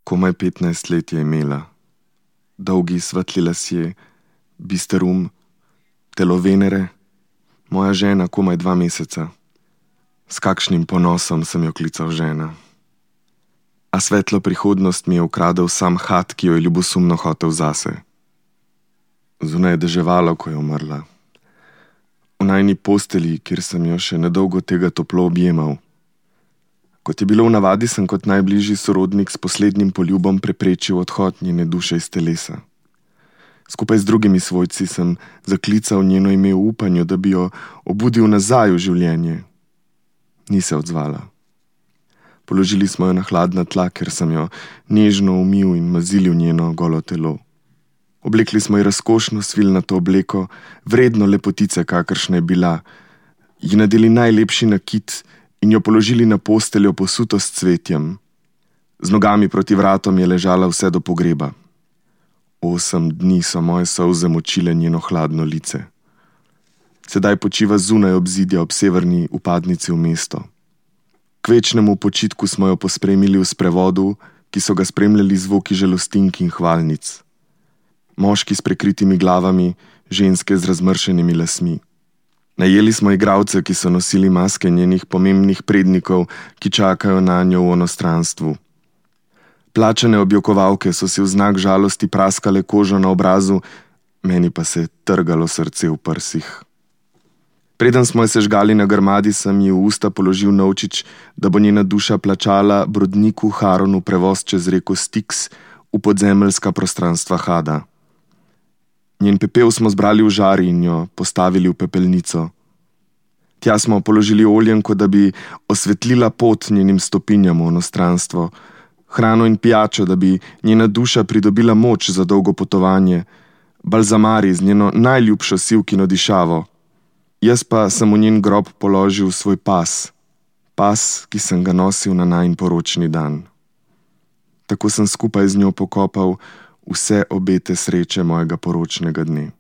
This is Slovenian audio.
Komaj 15 let je imela. Dolgi svetli lasje, bister telo Venere, moja žena komaj 2 meseca. S kakšnim ponosom sem jo klical žena. A svetlo prihodnost mi je ukradel sam hat, ki jo je ljubosumno hotel zase. Zunaj je deževalo, ko je umrla. V najini posteli, kjer sem jo še nedolgo tega toplo objemal. Kot je bilo v navadi, sem kot najbližji sorodnik s poslednjim poljubom preprečil odhod njene duše iz telesa. Skupaj z drugimi svojci sem zaklical njeno ime v upanju, da bi jo obudil nazaj v življenje. Ni se odzvala. Položili smo jo na hladna tla, ker sem jo nežno umil in mazilil njeno golo telo. Oblekli smo ji razkošno svilnato obleko, vredno lepotice, kakršna je bila, ji nadeli najlepši nakit in jo položili na posteljo posuto s cvetjem. Z nogami proti vratom je ležala vse do pogreba. 8 dni so moje solze močile njeno hladno lice. Sedaj počiva zunaj obzidja ob severni upadnici v mesto. K večnemu počitku smo jo pospremili v sprevodu, ki so ga spremljali zvoki žalostink in hvalnic. Moški s prekritimi glavami, ženske z razmršenimi lasmi. Najeli smo igralce, ki so nosili maske njenih pomembnih prednikov, ki čakajo na njo v onostranstvu. Plačane objokovalke so si v znak žalosti praskale kožo na obrazu, meni pa se je trgalo srce v prsih. Preden smo jo sežgali na grmadi, sem ji v usta položil novčič, da bo njena duša plačala brodniku Haronu prevoz čez reko Styx v podzemeljska prostranstva Hada. Njen pepel smo zbrali v žari in jo postavili v pepelnico. Tja smo položili oljenko, da bi osvetlila pot njenim stopinjam v onostranstvo, hrano in pijačo, da bi njena duša pridobila moč za dolgo potovanje, balzamari z njeno najljubšo sivkino dišavo. Jaz pa sem v njen grob položil svoj pas, ki sem ga nosil na najin poročni dan. Tako sem skupaj z njo pokopal vse obete sreče mojega poročnega dne.